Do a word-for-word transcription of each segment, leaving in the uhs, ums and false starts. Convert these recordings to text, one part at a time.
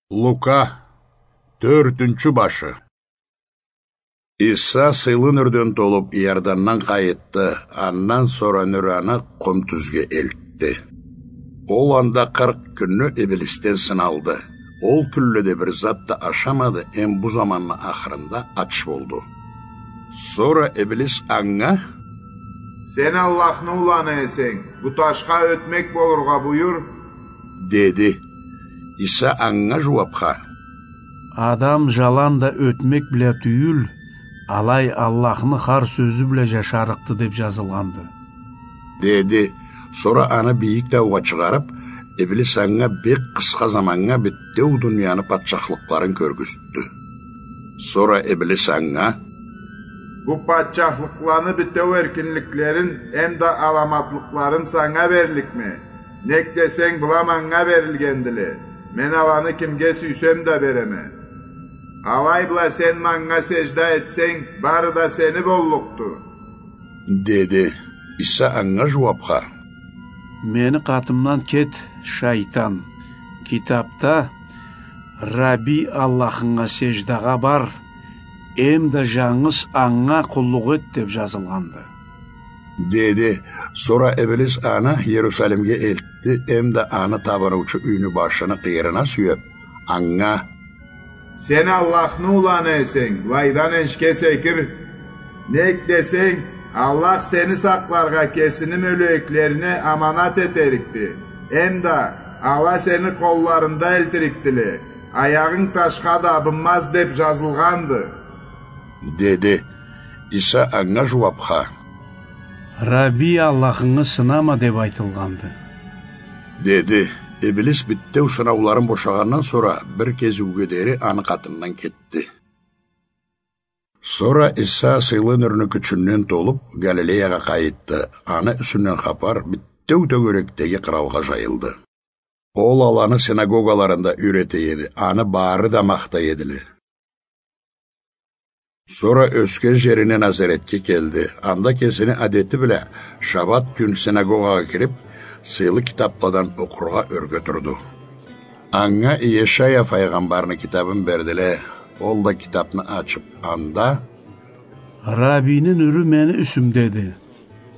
Лука, тёртюнчю башы. Иса сыйлы нюрден толуп, Иордандан къайытды, андан сора нюр аны къум тюзге элтди. Ол анда къыркъ кюнню иблисден сыналды. Ол кюнледе бир зат да ашамады, эм бу заманны ахырында ач болду. Сора иблис анга: «Сен Аллахны уланы эсенг, бу ташха ётмек болургъа буюр», — деди. Иса анга жууапха: «Адам жаланда ётмек бла тюйюл, алай Аллахны хар сёзю бла жашарыкъды деп жазылгъанды», — деди. Сора аны бийик таугъа чыгъарып, иблис анга бек къысха заманнга битеу дунияны патчахлыкъларын кёргюзтдю. Сора иблис анга: «Бу патчахлыкъланы битеу эркинликлерин эмда аламатлыкъларын санга берликме? Нек десенг, была манга берилгендиле. Мен аланы кимге сюйсем да береме. Алай бла сен манга сежда этсенг, бары да сени боллукъду», — деди. Иса анга жууапха: «Мени къатымдан кет, шайтан. Китапда: „Рабби Аллахынга сеждагъа бар, эмда жангыз анга къуллукъ эт“, — деп жазылгъанды», — деди. Сора иблис аны Иерусалимге элтди, эмда аны табыныучу юйню башыны къыйырына сюеп, анга: «Сен Аллахны уланы эсенг, былайдан энишге секир. Нек десенг, Аллах сени сакъларгъа кесини мёлеклерине аманат этерикди. Эмда ала сени къолларында элтирикдиле, аягъынг ташха дабынмаз деп жазылгъанды», — деди. Иса анга жууапха: «Рабби Аллахынгы сынама деп айтылгъанды», — деди. Иблис битеу сынауларын бошагъандан сора бир кезиуге дери аны къатындан кетди. Сора Иса сыйлы нюрню кючюнден толуп, Галилеягъа къайытды. Аны юсюнден хапар битеу тёгерекдеги къыралгъа жайылды. Ол аланы синагогаларында юйрете эди, аны бары да махтай эдиле. Сора ёсген жерине Назаретге келди. Анда кесини адети бла шабат кюн синагогагъа кирип, сыйлы китапладан окъургъа ёрге турду. Анга Иешая файгъамбарны китабын бердиле. Ол да китапны ачып, анда: «Раббини нюрю мени юсюмдеди.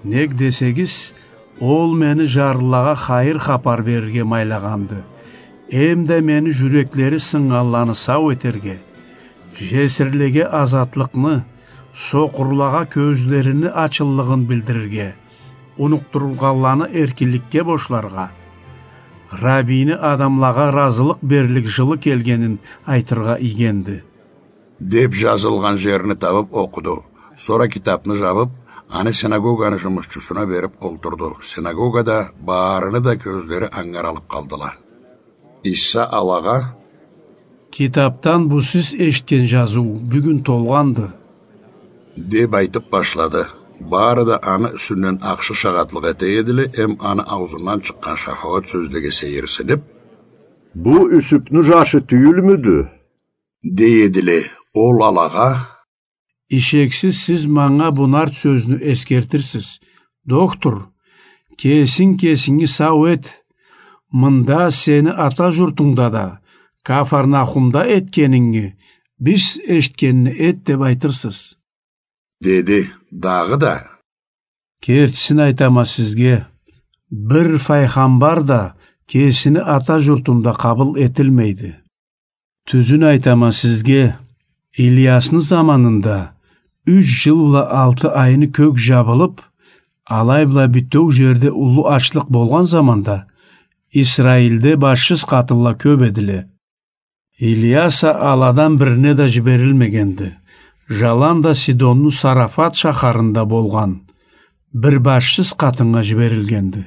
Нек десегиз, ол мени жарлылагъа хайыр хапар берирге майлагъанды, эмда мени жюреклери сыннганланы сау этерге, жесирлеге азатлыкъны, сокъурлагъа кёзлерини ачыллыгъын билдирирге, унукъдурулгъанланы эркинликге бошларгъа, Раббини адамлагъа ыразылыкъ берлик жылы келгенин айтыргъа ийгенди», — деп жазылгъан жерни табып окъуду. Сора китапны жабып, аны синагоганы жумушчусуна берип олтурду. Синагогада барыны да кёзлери анга аралып къалдыла. Иса алагъа: «Китапдан бу сиз эшитген жазыу бюгюн толгъанды», — деп айтып башлады. Бары да аны юсюнден ахшы шагъатлыкъ эте эдиле, эм аны аузундан чыкъгъан шафагъат сёзлеге сейирсинип: «Бу Юсюпню жашы тюйюлмюдю?» — дей эдиле. Ол алагъа: «Ишексиз сиз манга бу нарт сёзню эсгертирсиз: „Доктор, кесинг кесинги сау эт. Мында, сени ата журтунгда да, Кафарнахумда этгенинги, биз эшитгенни эт“, — деп айтырсыз», — деди. Дагъыда: «Кертисин айтама сизге, бир файгъамбар да кесини ата журтунда къабыл этилмейди. Тюзюн айтама сизге, Ильясны заманында юч жыл бла алты айны кёк жабылып, алай бла битеу жерде уллу ачлыкъ болгъан заманда Исраилде башсыз къатынла кёп эдиле. Ильяс а аладан бирине да жиберилмегенди. Жаланда Сидонну Сарафат шахарында болгъан бир башсыз къатыннга жиберилгенди.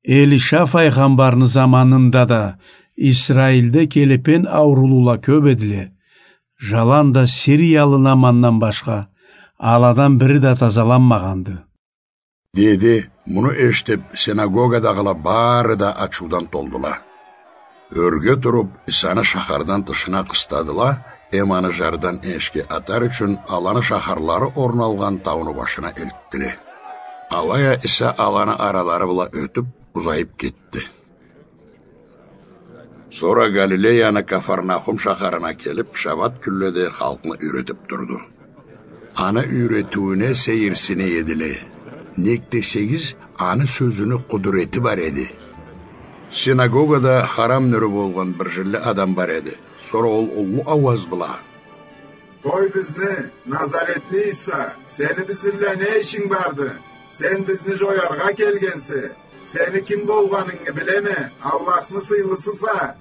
Элиша файгъамбарны заманында да Исраилде келепен аурулула кёп эдиле. Жаланда сириялы Намандан башха, аладан бири да тазаланмагъанды», — деди. Муну эшитип, синагогадагъыла бары да ачыудан толдула. Ёрге туруп, Исаны шахардан тышына къыстадыла, эм аны жардан энишге атар ючюн аланы шахарлары орун алгъан тауну башына элтдиле. Алай а Иса аланы аралары бла ётюп, узайып кетди. Сора Галилеяны Кафарнахум шахарына келип, шабат кюнледе халкъны юйретип турду. Аны юйретиуюне сейирсине эдиле. Нек десегиз, аны сёзюню къудурети бар эди. Синагогада харам нюрю болгъан бир жинли адам бар эди. Сора ол уллу ауаз бла: «Къой бизни, Назаретли Иса, сени бизни бла не ишинг барды? Сен бизни жояргъа келгенсе, сени ким болгъанынгы билеме, Аллахны сыйлысыса»,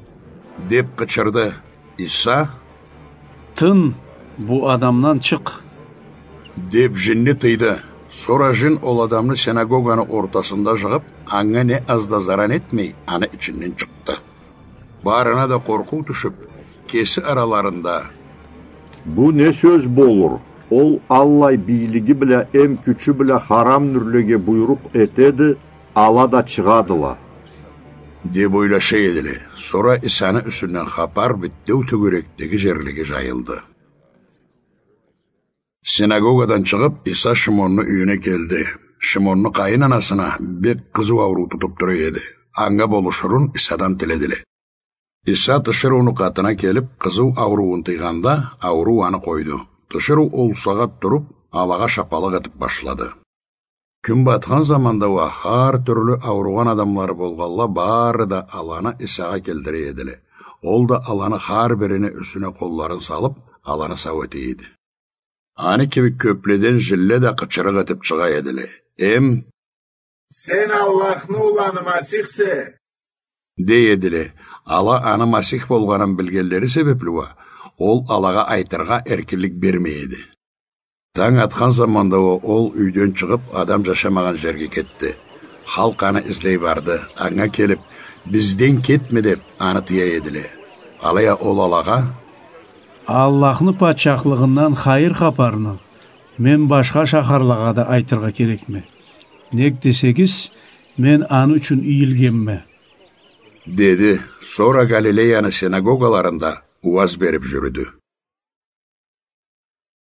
— деп къычырды. Иса: «Тын, бу адамдан чыкъ», — деп, жинни тыйды. Сора жин ол адамны синагоганы ортасында жыгъып, анга не аз да заран этмей, аны ичинден чыкъды. Барына да къоркъуу тюшюп, кеси араларында: «Бу не сёз болур? Ол аллай бийлиги бла эм кючю бла харам нюрлеге буйрукъ этеди, ала да чыгъадыла», — деп ойлаша эдиле. Сора Исаны юсюнден хапар битеу тёгерекдеги жерлеге жайылды. Синагогадан чыгъып, Иса Шимонну юйюне келди. Шимонну къайын анасына бек къызыу ауруу тутуп тура эди. Анга болушурун Исадан тиледиле. Иса тиширыуну къатына келип, къызыу ауруун тыйгъанда, ауруу аны къойду. Тиширыу ол сагъат туруп, алагъа шапалакъ этип башлады. Кюн батхан заманда уа хар тюрлю ауругъан адамлары болгъанла бары да аланы Исагъа келтире эдиле. Ол да аланы хар бирини юсюне къолларын салып, аланы сау эте эди. Аны кибик кёпледен жинле да къычырыкъ этип чыгъа эдиле. Эм: «Сен Аллахны уланы Масихсе», — дей эдиле. Ала аны Масих болгъанын билгенлери себепли уа, ол алагъа айтыргъа эркинлик бермей эди. Танг атхан заманда уа ол юйден чыгъып, адам жашамагъан жерге кетди. Халкъ аны излей барды. Анга келип: «Бизден кетме», — деп, аны тыя эдиле. Алай а ол алагъа: «Аллахны патчахлыгъындан хайыр хапарны мен башха шахарлагъа да айтыргъа керекме. Нек десегиз, мен аны ючюн ийилгенме», — деди. Сора Галилеяны синагогаларында уаз берип жюрюдю.